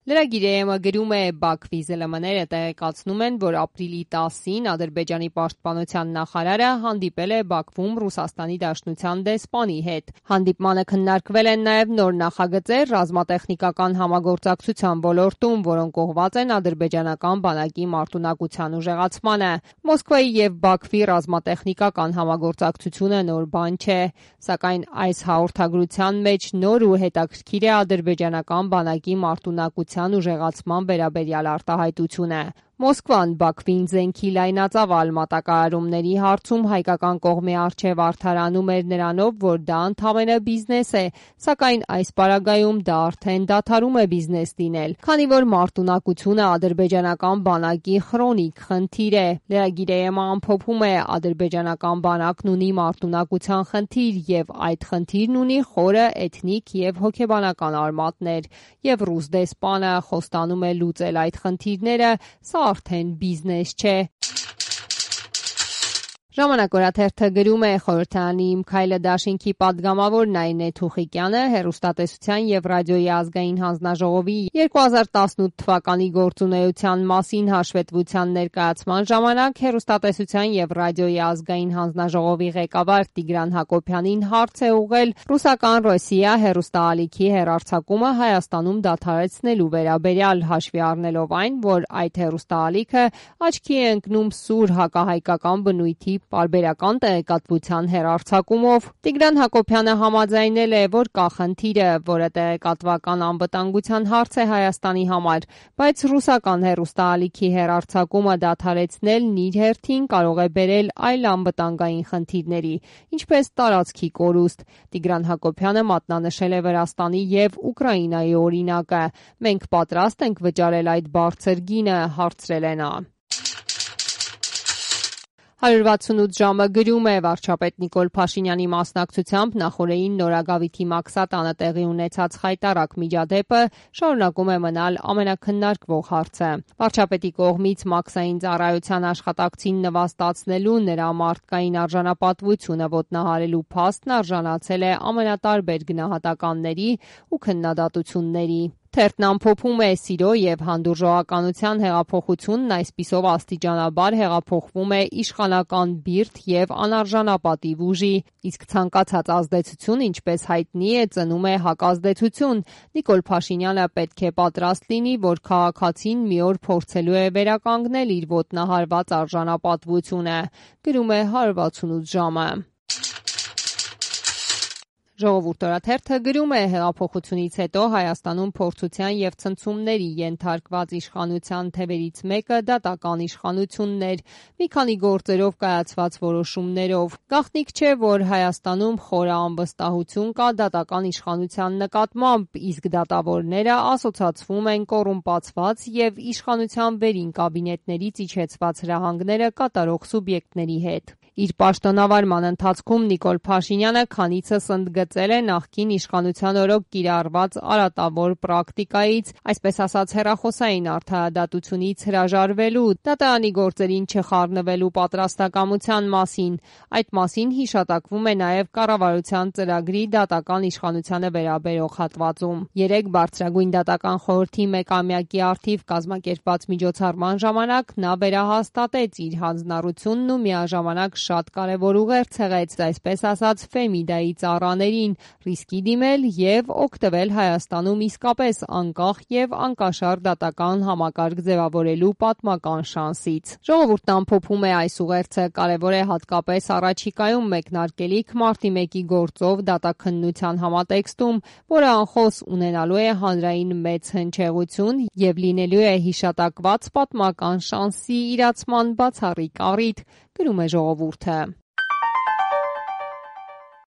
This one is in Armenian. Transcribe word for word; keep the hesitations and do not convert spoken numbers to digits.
Լրագիրը գրում է Բաքվի ԶԼՄ-ները տեղեկացնում են, որ ապրիլի տասին Ադրբեջանի պաշտպանության նախարարը հանդիպել է Բաքվում Ռուսաստանի Դաշնության դեսպանի հետ։ Հանդիպմանը քննարկվել են նաև նոր նախագծեր ռազմատեխնիկական համագործակցության ոլորտում, որոնք ուղղված են ադրբեջանական բանակի մարտունակության ուժեղացմանը։ Մոսկվայի և Բաքվի ռազմատեխնիկական համագործակցությունը նոր բան չէ, սակայն այս հաղորդագրության մեջ նոր ու հետաքրքիր է ադրբեջանական բանակի մարտունակության ուժեղացման վերաբերյալ արտահայտությունը։ Մոսկվան Բաքվին զենքի լայնածավալ մատակարարումների հարցում հայկական կողմի առջև արդարանում էր նրանով, որ դա ընդամենը բիզնես է, սակայն այս պարագայում դա արդեն դադարում է բիզնես լինել, քանի որ մարտունակությունը ադրբեջանական բանակի խրոնիկ խնդիր է։ Լրագիրը ամփոփում է ադրբեջանական բանակն ունի մարտունակության խնդիր եւ այդ խնդիրն ունի խորը էթնիկ եւ հոգեբանական արմատներ, եւ ռուս դեսպանը խոստանում է լուծել այդ խնդիրները, սա արդեն բիզնես չէ։ Ժամանակ օրաթերթը գրում է խորհրդարանի «Իմ քայլը» դաշինքի падգամավոր Նայինե Թուխիկյանը հեռուստատեսության եւ ռադիոյի ազգային հանձնաժողովի երկու հազար տասնութ թվականի գործունեության մասին հաշվետվության ներկայացման ժամանակ հեռուստատեսության եւ ռադիոյի ազգային հանձնաժողովի ղեկավար Տիգրան Հակոբյանին հարց է ուղղել ռուսական «Ռոսիա» հեռուստաալիքի հեռարձակումը Հայաստանում դադարեցնելու վերաբերյալ, հաշվի առնելով այն, որ այդ հեռուստաալիքը աչքի է ընկնում սուր հակահայկական բնույթի պարբերական տեղեկատվության հեռարձակումով։ Տիգրան Հակոբյանը համաձայնել է, որ կա խնդիրը, որը տեղեկատվական անվտանգության հարց է Հայաստանի համար, բայց ռուսական հեռուստաալիքի հեռարձակումը դադարեցնելն իր հերթին կարող է բերել այլ անվտանգային խնդիրների, ինչպես տարածքի կորուստ։ Տիգրան Հակոբյանը մատնանշել է Վրաստանի եւ Ուկրաինայի օրինակը։ Մենք պատրաստ ենք վճարել այդ բարձր գինը, հարցրել է նա։ հարյուր վաթսունութ ժամը գրում է վարչապետ Նիկոլ Փաշինյանի մասնակցությամբ նախօրեին Նորագավիթի Մաքսատանը տեղի ունեցած խայտառակ միջադեպը շարունակում է մնալ ամենաքննարկվող հարցը։ Վարչապետի կողմից Մաքսային ծառայության աշխատակցին նվաստացնելու, նրա մարդկային արժանապատվությունը ոտնահարելու փաստն արժանացել է ամենատարբեր գնահատականների ու քննադատությունների։ Թերթն ամփոփում է սիրո եւ հանդուրժողականության հեղափոխությունն այսպիսով աստիճանաբար հեղափոխվում է իշխանական բիրտ եւ անարժանապատիվ ուժի, իսկ ցանկացած ազդեցություն, ինչպես հայտնի է, ծնում է հակազդեցություն։ Նիկոլ Փաշինյանը պետք է պատրաստ լինի, որ քաղաքացին մի օր փորձելու է վերականգնել իր ոտնահարված արժանապատվությունը, գրում է հարյուր վաթսունութ ժամը։ Ժողովուրդ օրաթերթը գրում է հեղափոխությունից հետո Հայաստանում փորձության եւ ցնցումների ենթարկված իշխանության թևերից մեկը դատական իշխանությունն էր, մի քանի գործերով կայացված որոշումներով։ Գաղտնիք չէ, որ Հայաստանում խորը անվստահություն կա դատական իշխանության նկատմամբ, իսկ դատավորները ասոցացվում են կոռումպացված եւ իշխանության վերին կաբինետներից իջեցված հրահանգները կատարող սուբյեկտների հետ։ Իր պաշտոնավարման ընթացքում Նիկոլ Փաշինյանը քանիցս ընդգծել է նախկին իշխանության օրոք կիրառված արատավոր պրակտիկայից, այսպես ասած հեռախոսային արդարադատությունից հրաժարվելու, դատարանի գործերին չխառնվելու պատրաստակամության մասին։ Այդ մասին հիշատակվում է նաև կառավարության ծրագրի դատական իշխանությանը վերաբերող հատվածում։ Երեկ բարձրագույն դատական խորհրդի մեկամյակի առթիվ կազմակերպված միջոցառման ժամանակ նա վերահաստատեց իր հանձնառությունն ու միաժամանակ շատ կարևոր ուղեր ցեղեց, այսպես ասած, Ֆեմիդայի ծառաներին, ռիսկի դիմել եւ օգտվել Հայաստանում իսկապես անկախ եւ անկաշառ դատական համակարգ ձևավորելու պատմական շանսից։ Ժողովուրդն ամփոփում է այս ուղերձը կարևոր է հատկապես առաջիկայում մեկնարկելիք մարտի մեկի գործով դատաքննության համատեքստում, որը անխոս ունենալու է հանրային մեծ հնչեղություն եւ լինելու է հիշատակված պատմական շանսի իրացման բացառիկ առիթ, գրում է Ժողովուրդը։